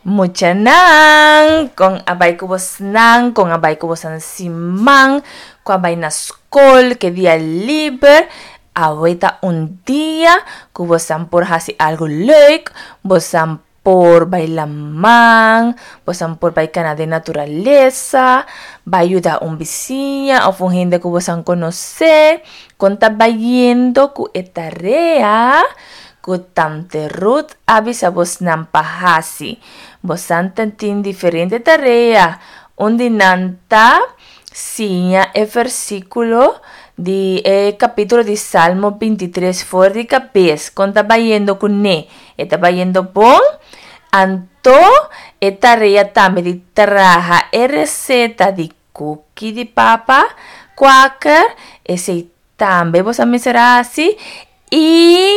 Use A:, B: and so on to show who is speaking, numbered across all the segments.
A: Muchanan, kon a bai ku bosnan, kon a bai ku bosan siman, ku a bai na skol, ke dia liber. Awe ta un dia ku bosan por hasi algu leuk, bosan por bai laman, bosan por bai kana den naturalesa, bai yuda un bisiña òf un hende ku bosan konosé. Kon ta bayendo ku e tarea ku Tante Ruth a bisa bosnan pa hasi? Bosan ta tin diferente tarea. Un di nan ta siña e versíkulo di e kapítulo di Salmo bintitres for di kabes. Kon ta bayendo kuné? E ta bayendo bon? Anto e tarea tambe di traha e reseta di kuki di papa kwaker, esei Tambe bo sa mester hasi y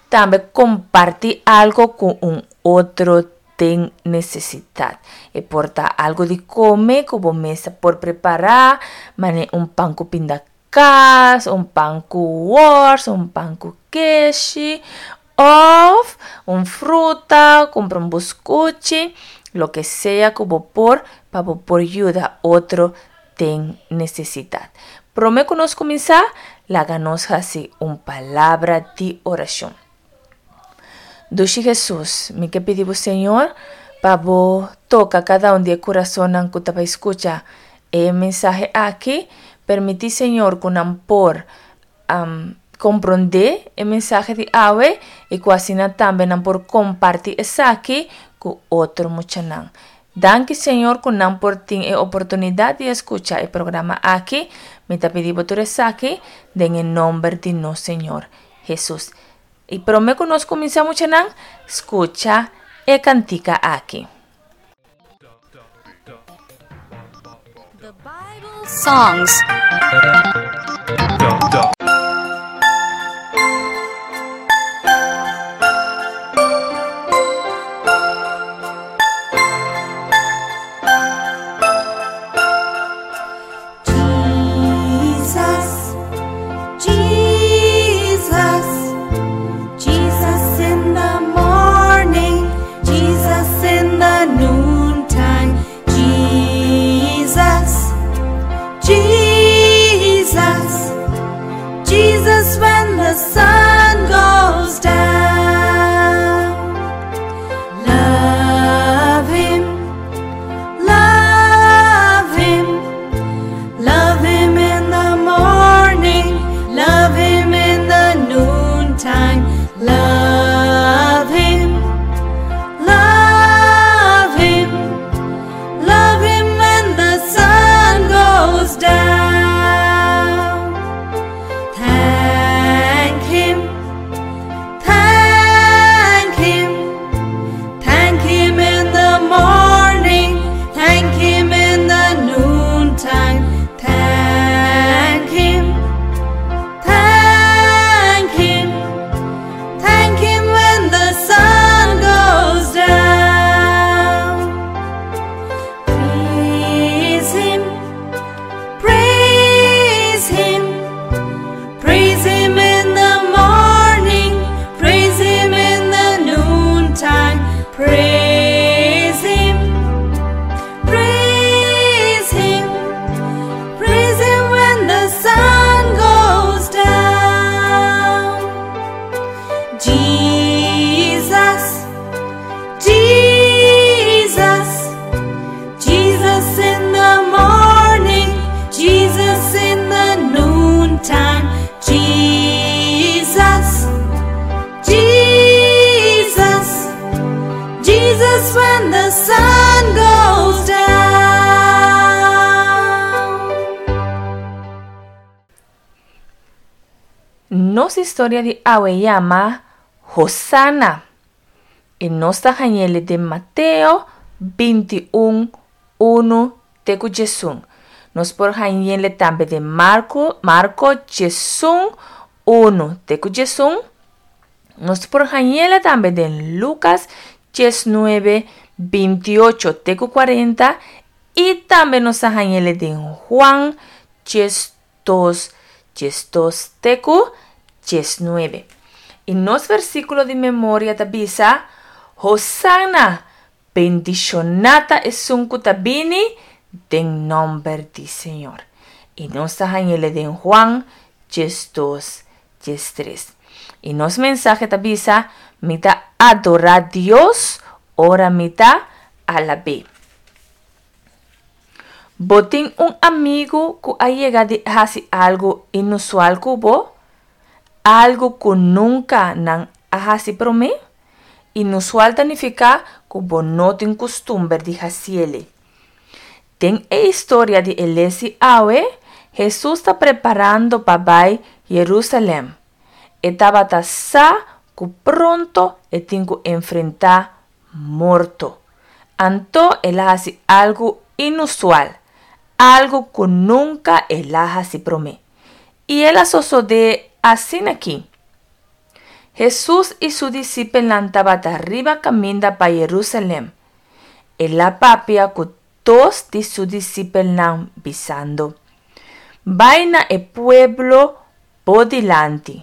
A: tambe comparti algo cu un otro den necesidad. E por ta algo di come cu bo mes por prepara, mane un pan cu pindakaas, un pan cu wors, un pan cu keshi of un fruta, cumpra un buscuchi, loke sea cu bo por pa bo por yuda otro den nesesidat. Promé ku nos kuminsá, laga nos hasi un palabra di orashon. Dushi Hesus, mi ke pidi bo Señor pa bo toka kada un di e kurasonnan ku ta bai skucha e mensahe aki. Permití Señor ku nan por komprondé e mensahe di awe i ku asina tambe nan por kompartí esaki ku otro muchanan. Danki Señor cu nan por tin e oportunidad di escucha e programa aki, mi ta pidi bo tur esaki den e nomber di nos Señor Jesus. Y prome cu nos cuminsa muchanan, scucha e cantica aki.
B: The Bible Songs. Jesus, Jesus, Jesus in the morning, Jesus in the noontime, Jesus, Jesus, Jesus when the sun goes down. Love him, love him, love him in the morning, love him in the noontime, love him, love him, love him when the sun goes down. Thank him, thank him, thank him in the morning, thank him in the noontime, thank him, thank him, thank him when the sun goes down. Praise him, praise him, praise him in the morning, praise him in the noontime, praise him, praise him, praise him when the sun goes down. Jesus, Jesus, Jesus in the morning, Jesus in the noontime, Jesus, Jesus, Jesus when the sun goes down.
A: Nos historia di awe yama Hosana. I nos ta hañ'el den Mateo 21, 1 te ku 11. Nos por hañ'el tambe den Marko, Marko 11, 1 te ku 11. Nos por hañ'el tambe den Lucas 19, 28 te ku 40. I tambe nos ta hañ'el den Juan 12, 12 te ku 19. I nos versíkulo di memoria ta bisa, Hosana! Bendishoná ta esun ku ta bini den nòmber di Señor. I nos ta hañ'ele den Juan 12, 13. I nos mensahe ta bisa, Mi ta adorá Dios ora mi ta alab'é. Bo tin un amigu ku a yega di hasi algu inusual ku bo? Algu ku nunka nan a hasi promé? Inusual ta nifiká ku bo no tin kustumber di hasiele. Den e historia di e lesi awe, Hesus ta preparando pa bai Yerusalèm. E tabata sa ku pronto e tin ku enfrentá morto. Anto el a hasi algu inusual, algu ku nunka el a hasi promé. I el a sosodé asin'akí. Hesus i su disipelnan tabata riba kaminda pa Yerusalèm. El a papia ku dos di su disipelnan bisando, Bai na e pueblo bo dilanti,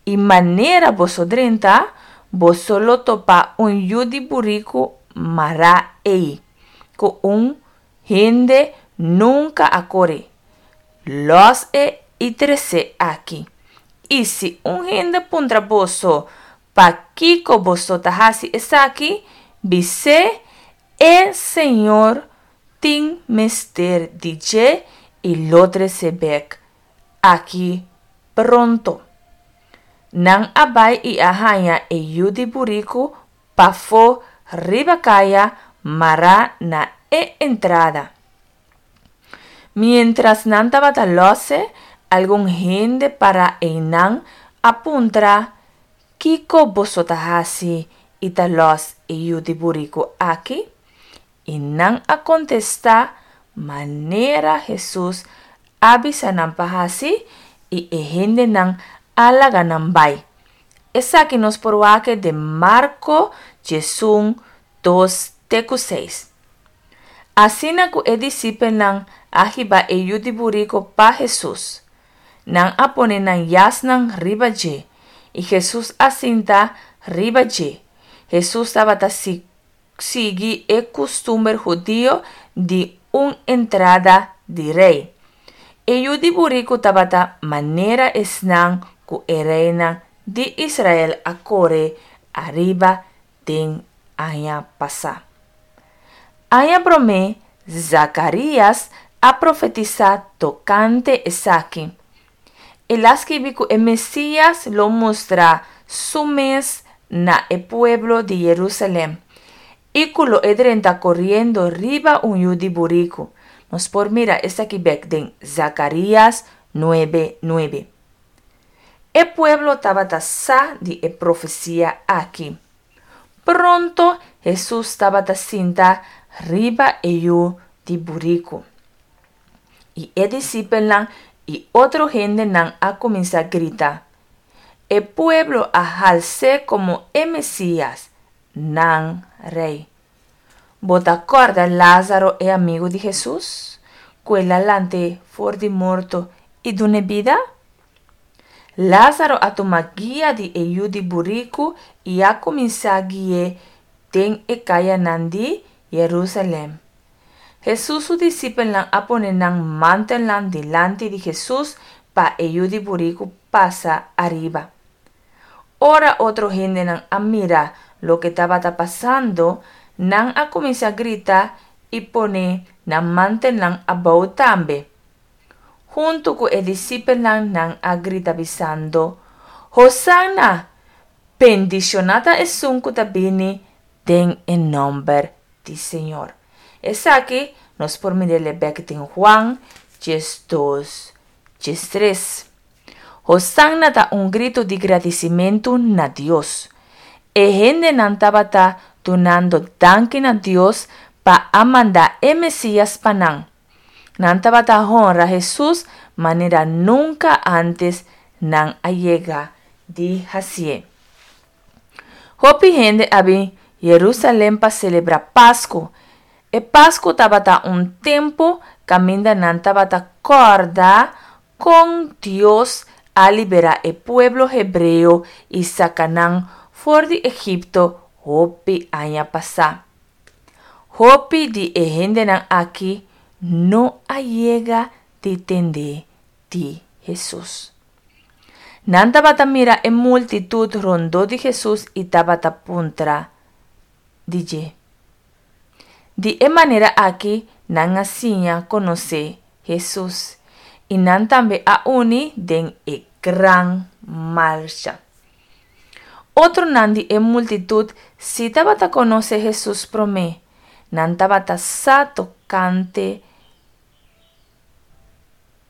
A: i manera boso drenta, boso lo topa un yu di buriku mará ei, ku un hende nunka a kore. Lòs e i tres'é aki. I si un hende puntra boso, Pakiko boso ta hasi esaki? Bis'é, E Señor tin mester di dje i lo tres'é bèk aki pronto. Nan a bai i a haña e yu di buriku pafó riba kaya mará na e entrada. Miéntras nan tabata lòs'e, algun hende pará einan a puntra, Kiko boso ta hasi i ta lòs e yu di buriku aki? I nan a kontestá manera Hesus a bisa nan pa hasi, i e hendenan a laga nan bai. Esaki nos por wak den Marko 11, 2 te ku 6. Asina ku e disipelnan a hiba e yu di buriko pa Hesus. Nan a pone nan yasnan riba dje, i Hesus a sinta riba dje. Hesus tabata sigui e kustumber hudio di un entrada di rei. E yu di buriku tabata manera esnan ku e reinan di Israel a kore ariba den aña pasá. Aña promé, Zakarías a profetisá tokante esaki. El a skibi ku e Mesías lo mustra su mes na e pueblo di Yerusalèm i ku lo e drenta koriendo riba un yu di buriku. Nos por mira esaki bèk den Zakarías nuebe nuebe. E pueblo tabata sa di e profesia aki. Pronto Hesus tabata sinta riba e yu di buriku. I e disipelnan i otro hendenan a kuminsá grita, E pueblo a hals'é komo e Mesías, nan Rei. Bo ta kòrda Lázaro e amigu di Hesus, ku el a lant'é for di morto i dun'é bida? Lázaro a tuma guia di e yu di buriku i a kuminsá gui'é den e kayanan di Yerusalèm. Hesus su disipelnan a pone nan mantelnan dilanti di Hesus pa e yu di buriku pasa ariba. Ora otro hendenan a mira loke tabata pasando, nan a kuminsá grita i pone nan mantelnan abou tambe. Huntu ku e disipelnan nan a grita bisando, Hosanna! Bendishoná ta esun ku ta bini den e nòmber di Señor. Esaki nos por mir'é bèk den Juan 12, 13. Hosanna ta un gritu di gradisimentu na Dios. E hendenan tabata dunando danki na Dios pa a manda e Mesías pa nan. Nan tabata honra Hesus manera nunka ántes nan a yega di hasié. Hopi hende a bin Yerusalèm pa selebrá Pasku. E Pasku tabata un tempu kaminda nan tabata kòrda kon Dios a liberá e pueblo hebreo i saka nan for di Egipto hopi aña pasá. Hopi di e hendenan aki no a yega di tende di Hesus. Nan tabata mira e multitut rondó di Hesus i tabata puntra di dje. Di e manera aki nan a siña konosé Hesus, i nan tambe a uni den e gran marcha. Otronan di e multitut sí tabata konosé Hesus promé, nan tabata sa tokante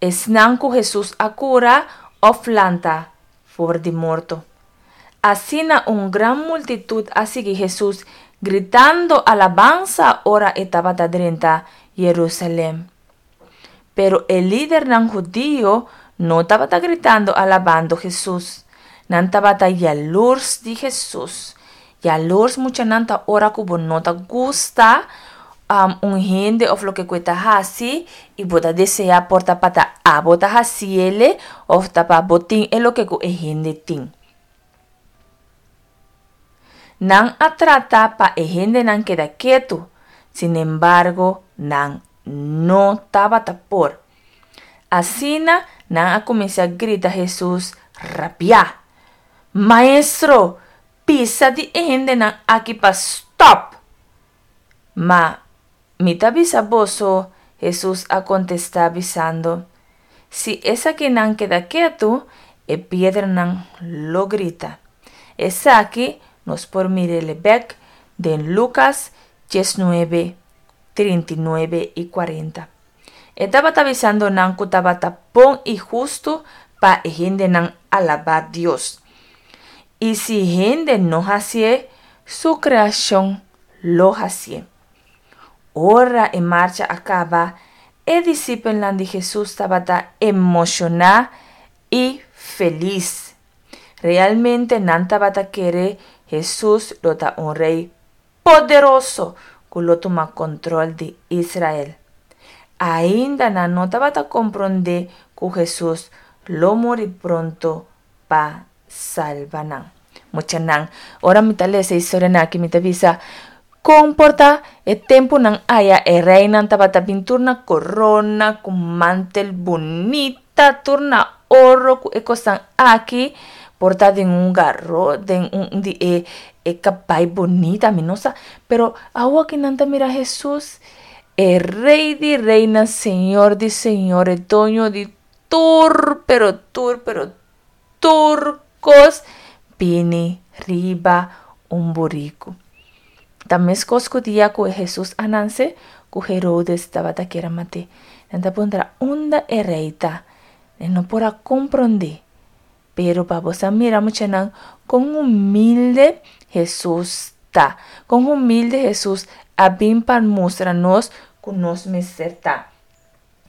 A: esnan ku Hesus a kura òf lanta for di morto. Asina un gran multitut a sigui Hesus gritando alabansa ora e tabata drenta Yerusalèm. Pero e lidernan hudio no tabata gritando alabando Hesus. Nan tabata yalurs di Hesus. Yalurs muchanan ta ora ku bo no ta gusta un hende of loke ku e ta hasi i bo ta desea por ta pa ta abo ta hasiele of ta pa bo tin e loke ku e hende tin. Nan a trata pa e hendenan keda ketu, sinembargo nan no tabata por. Asina nan a kuminsá grita Hesus rabiá, Maestro, bisa di e hendenan aki pa stòp! Ma Mi ta bisa boso, Hesus a kontestá bisando, si esakinan keda ketu, e piedranan lo grita. Esaki nos por mir'é bèk den Lukas diesnuebe, 39 i 40. E tabata bisando nan ku tabata bon i hustu pa e hendenan alabá Dios. I si hende no hasié, su kreashon lo hasié. Ora e marcha a kaba, e disipelnan di Hesus tabata emoshoná i felis. Realmente nan tabata kere Hesus lo ta un rei poderoso ku lo tuma kontrol di Israel. Ainda nan no tabata komprondé ku Hesus lo muri pronto pa salba nan. Muchanan, ora mi ta lesa e historianan aki mi ta bisa, kon por ta e tempunan aya e reinan tabata bin tur na korona ku mantel bunita, tur na oro ku e kosnan aki, por ta den un garo, den un di e e kabai bunita, mi no sa. Pero awo aki nan ta mira Hesus, e Rei di reinan, Señor di señores, Doño di tur, pero tur, pero Tur kos bini riba un buriku. Ta meskos ku dia ku Hesus a nanse, ku Herodes tabata kier a mat'é. Nan ta puntra, Unda e rei ta? E no por a komprondé. Pero pa bo sa mira muchanan kon humilde Hesus ta. Kon humilde Hesus a bin pa mustra nos ku nos mester ta.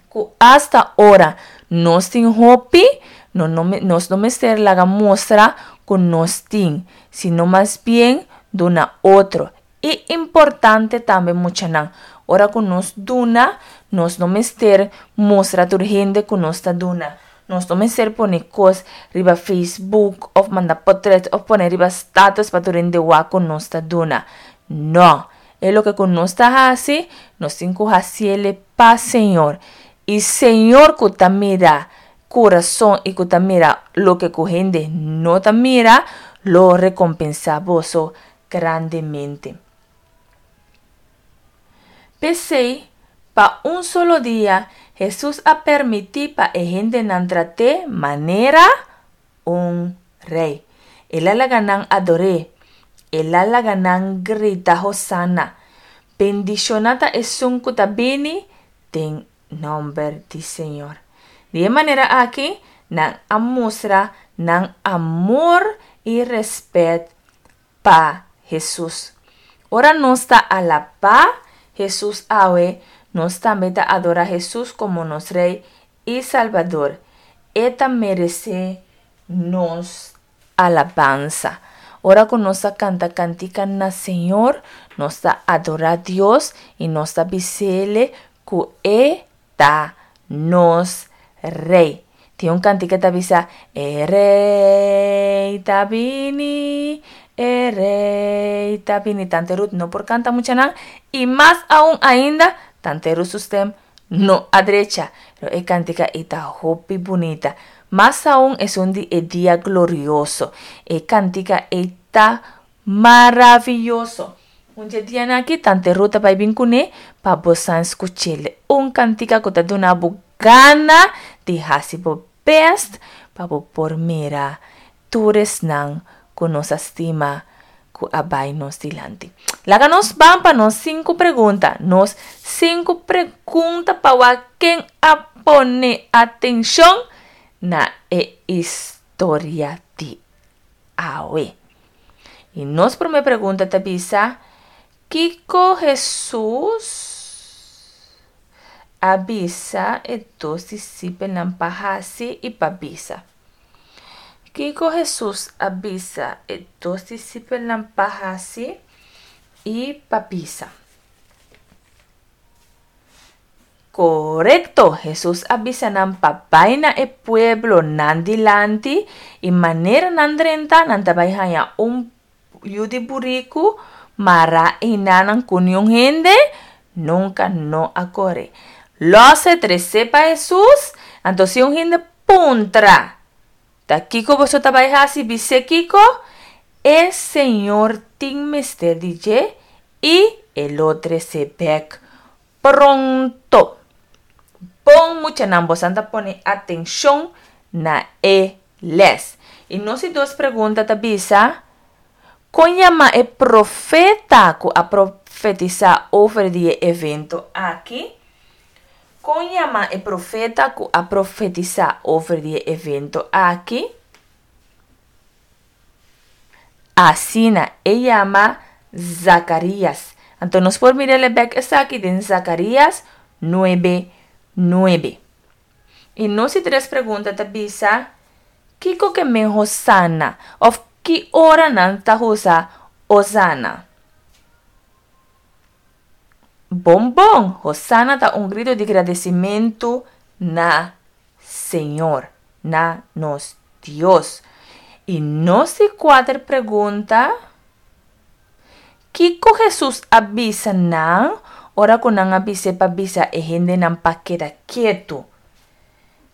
A: Ku asta ora nos tin hopi, no no nos no mester laga mustra ku nos tin, sino mas bien duna otro. I importante tambe muchanan, ora ku nos duna, nos no mester mustra tur hende ku nos ta duna. Nos no mester pone kos riba Facebook òf manda potret òf pone riba status pa tur hende wak ku nos ta duna. No! E loke ku nos ta hasi, nos tin ku hasiele pa Señor. I Señor ku ta mira kurason i ku ta mira loke ku hende no ta mira, lo rekompensá boso grandemente. P'esei, pa un solo dia, Hesus a permití pa e hendenan trat'é manera un rei. El a laga nan ador'é. El a laga nan grita Hosana! Bendishoná ta esun ku ta bini den nòmber di Señor. Di e manera aki, nan a mustra nan amor i rèspèt pa Hesus. Ora nos ta alabá Hesus awe, nos tambe ta adorá Hesus komo nos Rei i Salbador. E ta meresé nos alabansa. Ora ku nos ta kanta kantika na Señor, nos ta adorá Dios i nos ta bis'Ele ku E ta nos Rei. Tin un kantika ta bisa, E Rei ta bini, E rey ta bini. Tante Ruth no por canta muchanan y mas aun ainda Tante Ruth su stem no a drecha. Pero e cantica ei ta hopi bunita. Mas aun esun di E Dia Glorioso. E cantica ei ta maraviyoso. Un dje dianan aki Tante Ruth ta bai bin kuné pa bo san skuch'el. Un kantika ku ta duna bo gana di hasi bo bèst pa bo por mira tur esnan ku nos a stima ku a bai nos dilanti. Laga nos ban pa nos sinku pregunta. Nos sinku pregunta pa wak ken a pone atenshon na e historia di awe. I nos promé pregunta ta bisa, Kiko Hesus a bisa e dos disipelnan pa hasi i pa bisa? Kiko Hesus a bisa e dos disipelnan pa hasi i pa bisa? Korekto! Hesus a bisa nan pa bai na e pueblo nan dilanti i manera nan drenta nan ta bai haña un yu di buriku mará einanan ku niun hende nunka no a kore. Lòs e tres'é pa Hesus, anto si un hende puntra, Ta kiko boso ta bai hasi? Bis'é kiko e Señor tin mester di dje i e lo tres'é bèk Pronto! Bon muchanan bosan ta pone atencion na e les. Y nos di dos pregunta ta bisa, Con yama e profeta cu a profetisa over di e evento aki? Con yama e profeta cu a profetisa over di e evento aki? Asina e yama Zakarias. Anto nos por mira el bek esaki den Zakarias nuebe nuebe. I nos di tres pregunta ta bisa, Kiko ke men Hosana? Of ki ora nan ta usa Hosana? Bon bon, Hosana ta un grito di gradesimentu na Señor, na nos Dios. I nos di kuater pregunta, Kiko Hesus a bisa nan ora ku nan a bis'é pa bisa e hendenan pa keda ketu?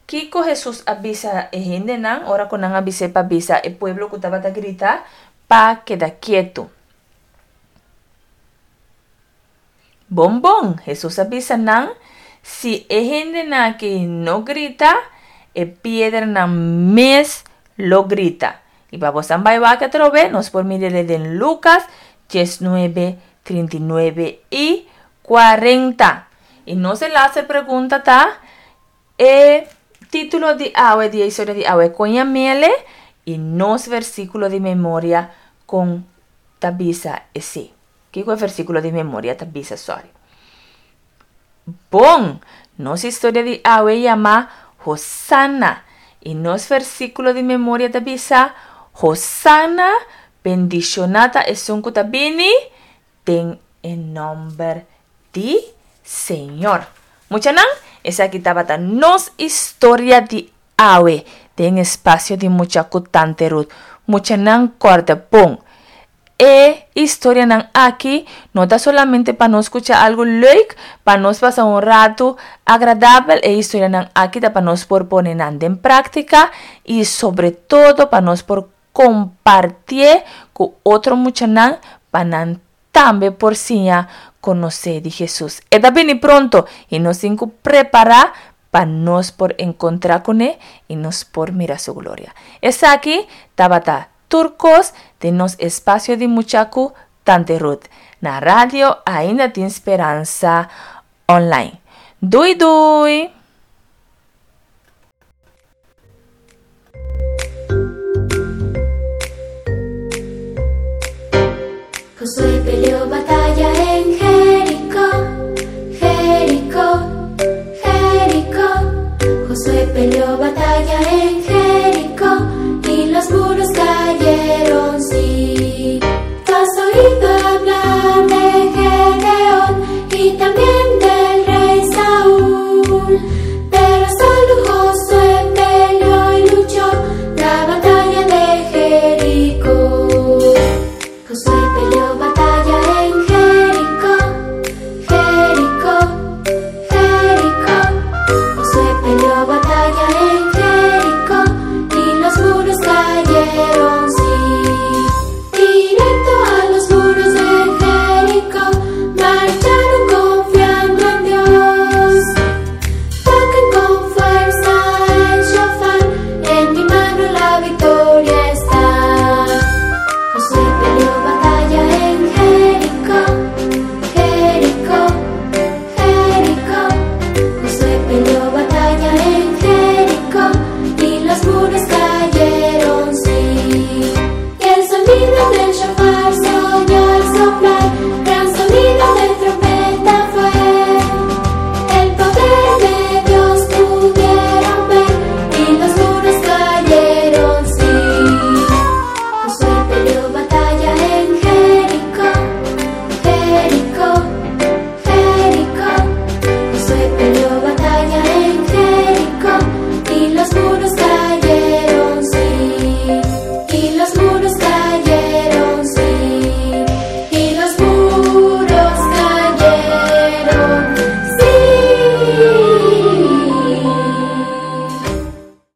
A: Kiko Hesus a bisa e hendenan ora ku nan a bis'é pa bisa e pueblo ku tabata grita pa keda ketu? Bon bon, Hesus a bisa nan, si e hendenan aki no grita, e piedranan mes lo grita. I pa bosan bai wak atrobe, nos por mir'e den Lukas diesnuebe, 39 i 40. I nos e laatste pregunta ta, e título di awe, di e historia di awe, kon yam'ele? I nos versíkulo di memoria kon ta bisa esei? Kiko e versíkulo di memoria ta bisa, sòri? Bon! Nos historia di awe yama Hosana. I nos versíkulo di memoria ta bisa, Hosana, bendishoná ta esun ku ta bini den e nòmber di Señor. Muchanan, esaki tabata nos historia di awe den espasio di Mucha ku Tante Ruth. Muchanan, kòrda bon! E historianan aki no ta solamente pa nos skucha algu leuk, pa nos pasa un ratu agradabel, e historianan aki ta pa nos por pone nan den práktika i sobre todo pa nos por kompartié ku otro muchanan pa nan tambe por siña konosé di Hesus. E ta bini pronto i nos tin ku prepará pa nos por enkontrá kuné i nos por mira su gloria. Esaki tabata Tur kos den nos espasio di mucha ku Tante Ruth. Na radio ainda tin speransa online. Dui dui!
B: Josué peleó batalla en Jericó, Jericó, Jericó. Josué peleó batalla en Jericó y los muros cayeron, sí. Tú has oído hablar de Gedeón y también del rey Saúl, pero solo Josué peleó y luchó la batalla de Jericó. Ta.